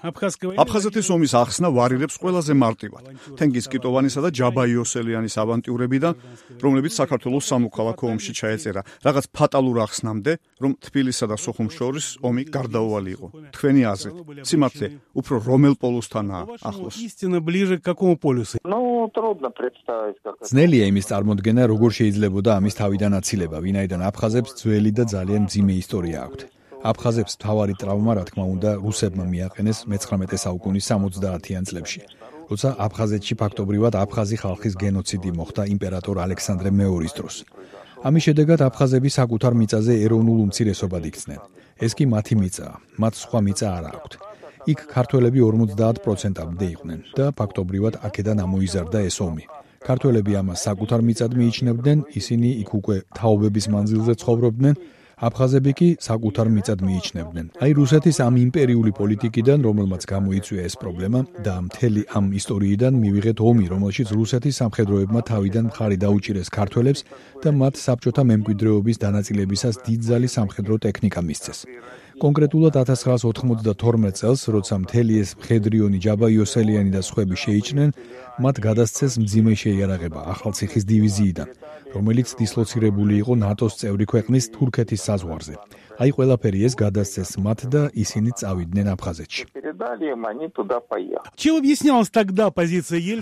აფხაზეთის ომის ახსნა ვარირებს ყველაზე მარტივად. თენგიზ კიტოვანისა და ჯაბა იოსელიანის ავანტიურებიდან, რომლებიც საქართველოს სამოქალაქო ომში ჩაეწერა, რაღაც ფატალურ ახსნამდე, რომ თბილისსა და სოხუმს შორის ომი გარდაუვალი იყო. თქვენი აზრით, სიმართლე უფრო რომელ პოლუსთანაა ახლოს? ძნელია იმის წარმოდგენა, როგორ შეიძლებოდა ამის თავიდან აცილება, ვინაიდან აფხაზებს ძველი და ძალიან მძიმე ისტორია აქვთ. აფხაზებს მთავარი ტრავმა, რა თქმა უნდა, რუსებმა მიაყენეს მე-19 საუკუნის 70-იან წლებში, როცა აფხაზეთში ფაქტობრივად აფხაზი ხალხის გენოციდი მოხდა იმპერატორ ალექსანდრე მეორის დროს. ამის შედეგად აფხაზები საკუთარ მიწაზე ეროვნულ უმცირესობად იქცნენ. ეს კი მათი მიწაა, მათ სხვა მიწა არ აქვთ. იქ ქართველები 50%-მდე იყვნენ და ფაქტობრივად აქედან ამოიზარდა ეს ომი. ქართველები ამას საკუთარ მიწად მიიჩნევდნენ, ისინი იქ უკვე თაობების მანძილზე ცხოვრობდნენ, აფხაზები კი საკუთარ მიწად მიიჩნევდნენ. აი რუსეთის ამ იმპერიული პოლიტიკიდან, რომელმაც გამოიწვია ეს პრობლემა და მთელი ამ ისტორიიდან მივიღეთ ომი, რომელშიც რუსეთის სამხედროებმა თავიდან მხარი დაუჭირეს ქართველებს და მათ საბჭოთა მემკვიდრეობის დანაწილებისას დიდძალი სამხედრო ტექნიკა მისცეს. კონკრეტულად 1992 წელს, როცა მთელი ეს მხედრიონი ჯაბა იოსელიანი და სხვები შეიჭრნენ, მათ გადასცეს მძიმე შეიარაღება ახალციხის დივიზიიდან, რომელიც დისლოცირებული იყო ნატოს წევრი ქვეყნის თურქეთის საზღვარზე. აი ყველაფერი ეს გადასცეს მათ და ისინი წავიდნენ აფხაზეთში.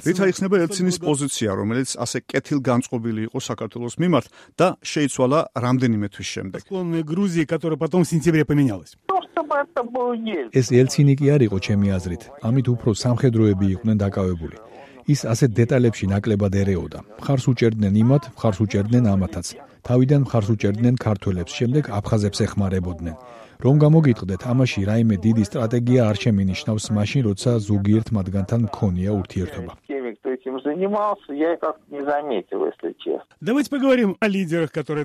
რით აიხსნება ელცინის პოზიცია, რომელიც ასე კეთილგანწყობილი იყო საქართველოს მიმართ და შეიცვალა რამდენიმე თვის შემდეგ? ეს ელცინი კი არ იყო ჩემი აზრით, ამით უფრო სამხედროები იყვნენ დაკავებული. ის ასეთ დეტალებში ნაკლებად ერეოდა. მხარს უჭერდნენ იმათ, მხარს უჭერდნენ ამათაც. თავიდან მხარს უჭერდნენ ქართველებს, შემდეგ აფხაზებს ეხმარებოდნენ. რომ გამოგიტყდეთ, ამაში რაიმე დიდი სტრატეგია არ შემინიშნავს მაშინ, როცა ზოგიერთ მათგანთან მქონია ურთიერთობა.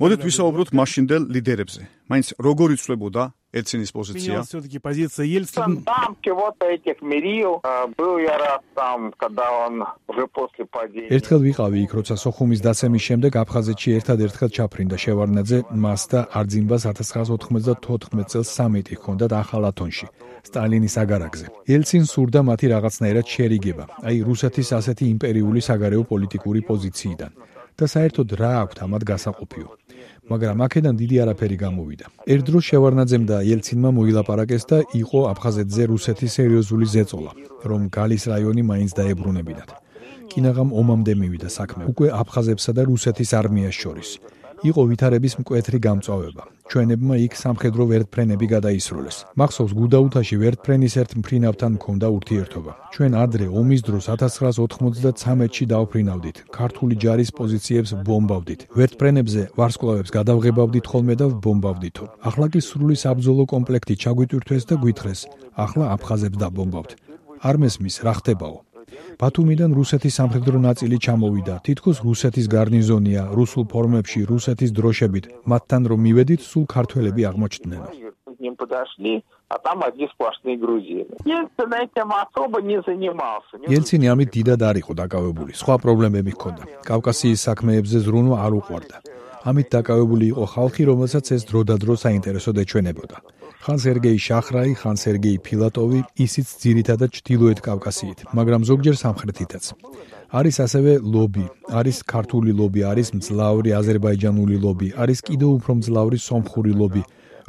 მოდით ვისაუბროთ მაშინდელ ლიდერებზე. მაინც როგორ იცვლებოდა ელცინის პოზიცია? ერთხელ ვიყავი იქ, როცა სოხუმის დაცემის შემდეგ აფხაზეთში ერთად-ერთხელ ჩაფრინდა შევარდნაძე, მას და არძინბას 1994 წელს სამიტი ჰქონდათ ახალ ათონში, სტალინის აგარაკზე. ელცინს სურდა მათი რაღაცნაირად შერიგება, აი რუსეთის ასეთი იმპერიული საგარეო პოლიტიკური პოზიციიდან. და საერთოდ რა აქვთ ამათ გასაყოფიო. მაგრამ აქედან დიდი არაფერი გამოვიდა. ერთ დროს შევარდნაძემ და ელცინმა მოილაპარაკეს და იყო აფხაზეთზე რუსეთის სერიოზული ზეწოლა, რომ გალის რაიონი მაინც დაებრუნებინათ. კინაღამ ომამდე მივიდა საქმე, უკვე აფხაზებსა და რუსეთის არმიას შორის. იყო ვითარების მკვეთრი გამწვავება. ჩვენებმა იქ სამხედრო ვერტფრენები გადაისროლეს. მახსოვს გუდაუთაში ვერტფრენის ერთ მფრინავთან მქონდა ურთიერთობა. ჩვენ ადრე ომის დროს 1993-ში დავფრინავდით. ქართული ჯარის პოზიციებს ბომბავდით. ვერტფრენებზე ვარსკვლავებს გადავღებავდით ხოლმე და ვბომბავდითო. ახლა კი სრული საბრძოლო კომპლექტი ჩაგვიტვირთვეს და გვითხრეს. ახლა აფხაზებს დაბომბავთ. არ მესმის რა ხდებაო. ბათუმიდან რუსეთის სამხედრო ნაწილი ჩამოვიდა. თითქოს რუსეთის გარნიზონია, რუსულ ფორმებში, რუსეთის დროშებით. მათთან რომ მივედით, სულ ქართველები აღმოჩნდნენ. ელცინი ამით დიდად არ იყო დაკავებული. სხვა პრობლემები ჰქონდა. კავკასიის საქმეებზე ზრუნვა არ უყვარდა. ამით დაკავებული იყო ხალხი, რომელსაც ეს დროდადრო საინტერესოდ ეჩვენებოდა. ხან სერგეი შახრაი, ხან სერგეი ფილატოვი, ისიც ძირითადად ჩრდილოეთ კავკასიით, მაგრამ ზოგჯერ სამხრეთითაც. არის ასევე ლობი, არის ქართული ლობი, არის მძლავრი აზერბაიჯანული ლობი, არის კიდევ უფრო მძლავრი სომხური ლობი,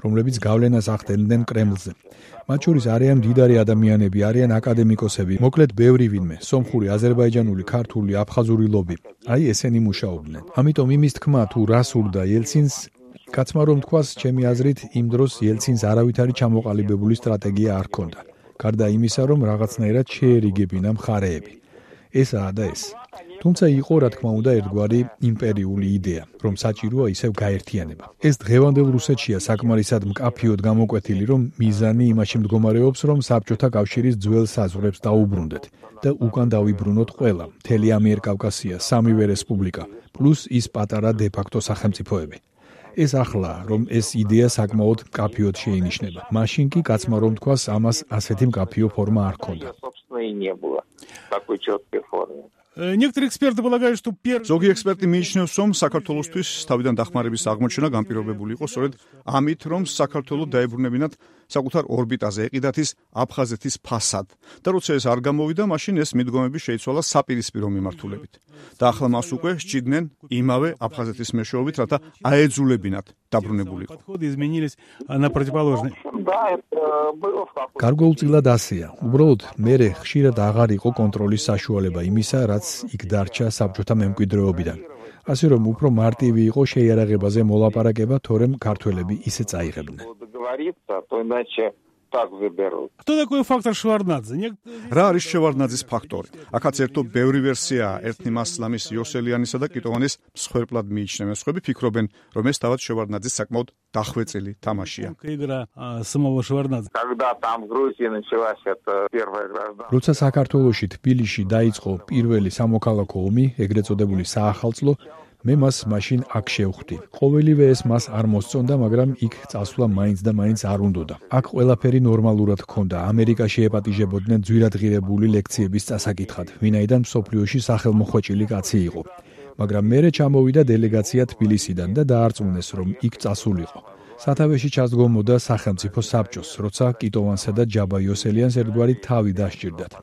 რომლებიც გავლენას ახდენდნენ კრემლზე. მათ შორის არიან მდიდარი ადამიანები, არიან აკადემიკოსები, მოკლედ ბევრი ვინმე, სომხური, აზერბაიჯანული, ქართული, აფხაზური ლობი. აი ესენი მუშაობდნენ. ამიტომ იმის თქმა თუ რა სურდა ელცინს, კაცმა რომ თქვას, ჩემი აზრით, იმ დროს ელცინს არავითარი ჩამოყალიბებული სტრატეგია არ ჰქონდა. გარდა იმისა, რომ რაღაცნაირად შეერიგებინა მხარეები. ესაა და ეს. თუმცა იყო, რა თქმა უნდა, ერთგვარი იმპერიული იდეა, რომ საჭიროა ისევ გაერთიანება. ეს დღევანდელ რუსეთშია საკმარისად მკაფიოდ გამოკვეთილი, რომ მიზანი იმაში მდგომარეობს, რომ საბჭოთა კავშირის ძველ საზღვრებს დაუბრუნდეთ და უკან დავიბრუნოთ ყველა, მთელი ამიერკავკასია, სამივე რესპუბლიკა, პლუს ის პატარა დე-ფაქტო სახელმწიფოები. ეს ახლა, რომ ეს იდეა საკმაოდ მკაფიოდ შეინიშნება. მაშინ კი კაცმა რომ თქვას, ამას ასეთი მკაფიო ფორმა არ ჰქონდა. ზოგი ექსპერტი მიიჩნევს, რომ საქართველოსთვის თავიდან დახმარების აღმოჩენა განპირობებული იყო სწორედ ამით, რომ საქართველოს დაებრუნებინათ საკუთარ ორბიტაზე ეყიდათ ის აფხაზეთის ფასად. და როცა ეს არ გამოვიდა, მაშინ ეს მიდგომები შეიცვალა საპირისპირო მიმართულებით. და ახლა მას უკვე სჭირდნენ იმავე აფხაზეთის მეშვეობით, რათა აეძულებინათ დაბრუნებულიყო. გარკვეულწილად ასეა. უბრალოდ მერე ხშირად აღარ იყო კონტროლის საშუალება იმისა, რაც იქ დარჩა საბჭოთა მემკვიდრეობიდან. ასე რომ უფრო მარტივი იყო შეიარაღებაზე მოლაპარაკება, თორემ ქართველები ისე წაიღებდნენ. Кто такой фактор Шеварднадзе? რა არის შევარდნაძის ფაქტორი? აქაც ერთო ბევრი ვერსიაა. ერთნი მას ლამის იოსელიანისა და კიტოვანის მსხვერპლად მიიჩნევენ. სხვები ფიქრობენ, რომ ეს თავად შევარდნაძის საკმაოდ დახვეწილი თამაშია. როცა საქართველოში თბილისში დაიწყო პირველი სამოქალაქო ომი, ეგრეთ წოდებული საახალწლო, მე მას მაშინ აქ შევხვდი. ყოველივე ეს მას არ მოსწონდა, მაგრამ იქ წასვლა მაინც და მაინც არ უნდოდა. აქ ყველაფერი ნორმალურად ჰქონდა. ამერიკაში ეპატიჟებოდნენ ძვირადღირებული ლექციების წასაკითხად, ვინაიდან მსოფლიოში სახელმოხვეჭილი კაცი იყო. მაგრამ მერე ჩამოვიდა დელეგაცია თბილისიდან და დაარწმუნეს, რომ იქ წასულიყო. სათავეში ჩასდგომოდა სახელმწიფო საბჭოს, როცა კიტოვანსა და ჯაბა იოსელიანს ერთგვარი თავი დასჭირდათ.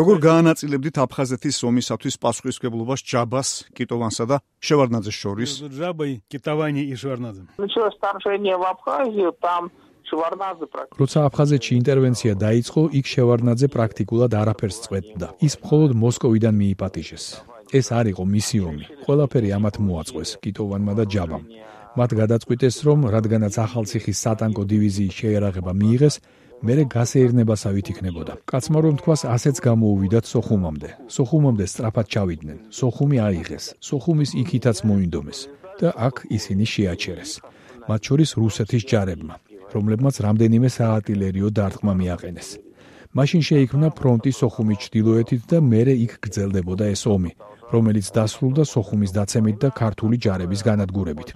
როგორ გაანაწილებდით აფხაზეთის ომისათვის პასუხისმგებლობას ჯაბას, კიტოვანსა და შევარდნაძეს შორის? როცა აფხაზეთში ინტერვენცია დაიწყო, იქ შევარდნაძე პრაქტიკულად არაფერს წყვეტდა. ის მხოლოდ მოსკოვიდან მიიპატიჟეს. ეს არ იყო მისი ომი. ყველაფერი ამათ მოაწყვეს, კიტოვანმა და ჯაბამ. მათ გადაწყვიტეს, რომ რადგანაც ახალციხის სატანკო დივიზიის შეიარაღება მიიღეს, მერე გასეირნებასავით იქნებოდა. კაცმა რომ თქვას, ასეც გამოუვიდათ სოხუმამდე. სოხუმამდე სწრაფად ჩავიდნენ. სოხუმი აიღეს. სოხუმის იქითაც მოინდომეს და აქ ისინი შეაჩერეს. მათ შორის რუსეთის ჯარებმა, რომლებმაც რამდენიმე საარტილერიო დარტყმა მიაყენეს. მაშინ შეიქმნა ფრონტი სოხუმის ჩრდილოეთით და მერე იქ გრძელდებოდა ეს ომი, რომელიც დასრულდა სოხუმის დაცემით და ქართული ჯარების განადგურებით.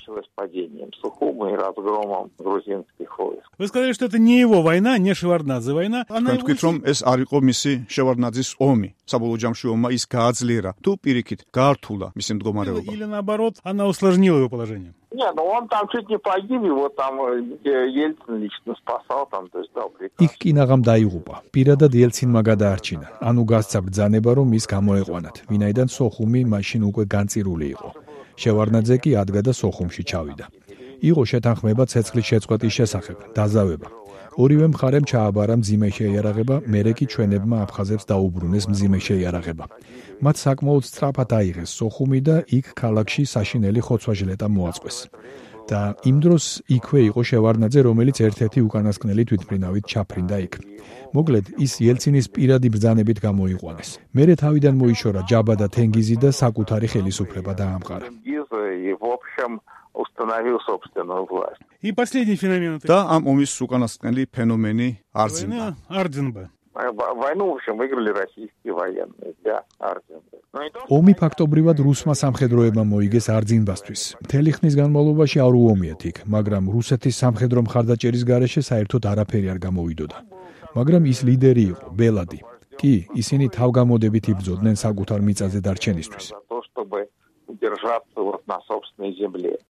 Вы сказали, что это не его война, не Шеварднадзе война. თქვით, რომ ეს არ იყო მისი შევარდნაძის ომი. საბოლოო ჯამში ომმა ის გააძლიერა, თუ პირიქით გაართულა მისი მდგომარეობა. Или наоборот, она усложнила его положение. Нет, ну он там чуть не погиб, его там Ельцин лично спасал, там, то есть дал приказ. იქ კინაღამ დაიღუპა. პირადად ელცინმა გადაარჩინა. ანუ გასცა ბრძანება, რომ ის გამოეყვანათ, ვინაიდან სოხუმი მაშინ უკვე განწირული იყო. შევარდნაძე კი ადგა და სოხუმში ჩავიდა. იყო შეთანხმება ცეცხლის შეწყვეტის შესახებ, დაზავება. ორივე მხარემ ჩააბარა მძიმე შეიარაღება, მერე კი ჩვენებმა აფხაზებს დაუბრუნეს მძიმე შეიარაღება. მათ საკმაოდ სწრაფად აიღეს სოხუმი და იქ ქალაქში საშინელი ხოცვა-ჟლეტა მოაწყვეს. და იმ დროს იქვე იყო შევარდნაძე, რომელიც ერთ-ერთი უკანასკნელი თვითმფრინავით ჩაფრინდა იქ. მოკლედ, ის ელცინის პირადი ბრძანებით გამოიყვანეს. მერე თავიდან მოიშორა ჯაბა და თენგიზი და საკუთარი ხელისუფლება დაამყარა. И последний феномен. და ამ ომის უკანასკნელი ფენომენი არძინდა. Арденба. Войну, в общем, выиграли российские военные для Арденбы. ომი ფაქტობრივად რუსმა სამხედროებმა მოიგეს არძინბასთვის. მთელი ხნის განმავლობაში არ უომიათ იქ, მაგრამ რუსეთის სამხედრო მხარდაჭერის გარეშე საერთოდ არაფერი არ გამოვიდოდა. მაგრამ ის ლიდერი იყო, ბელადი. კი, ისინი თავგამოდებით იბრძოდნენ საკუთარ მიწაზე დარჩენისთვის. Удержаться вот на собственной земле.